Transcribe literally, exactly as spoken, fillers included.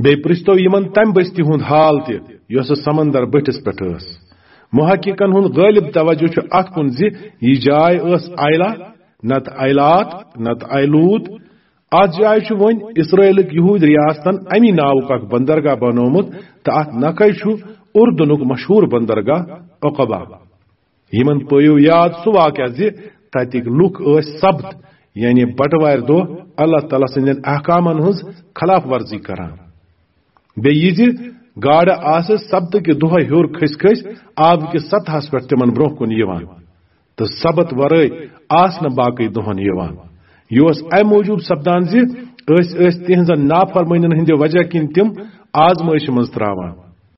بیٚیہِ پرٛژھتو یِمن تمہِ بستی ہُنٛد حال تہِ، یۄسہٕ سمندر بٔٹھِس پٮ۪ٹھ ٲس۔ محققن ہُنٛد غٲلب توجہ چھُ اتھ کُن زِ یہِ جاے ٲس آیلہ، نتہٕ آیلات، نتہٕ آیلوٗت۔ اتھ جایہِ چھُ وۄنۍ اسرائیلٕکۍ یہوٗدۍ ریاستن امی ناوُک اکھ بندرگاہ بنوومُت، تہٕ اتھ نکھے چھُ اردنُک مشہوٗر بندرگاہ عقبہ۔ یِمن پٲیِو یاد سُہ واقعہ زِ تتِکۍ لُکھ ٲسۍ سبت، یعنی بٹوارِ دۄہ، اللہ تعالیٰ سٕنٛدٮ۪ن احکامن ہٕنٛز خلاف ورزی کران۔ بیٚیہِ یہِ زِ گاڈٕ آسہٕ سبتہٕ کہِ دۄہے ہیوٚر کھٔسۍ کھٔسۍ آبہٕ کِس سطحس پٮ۪ٹھ تِمن برٛونٛہہ کُن یِوان، تہٕ سبت ورٲے آسہٕ نہٕ باقٕے دۄہن یِوان۔ یہِ اوس امہِ موٗجوٗب سپدان زِ أسۍ ٲسۍ تِہنٛزن نافرمٲنین ہٕنٛدِ وجہ کِنۍ تِم آزمٲیشہِ منٛز تراوان۔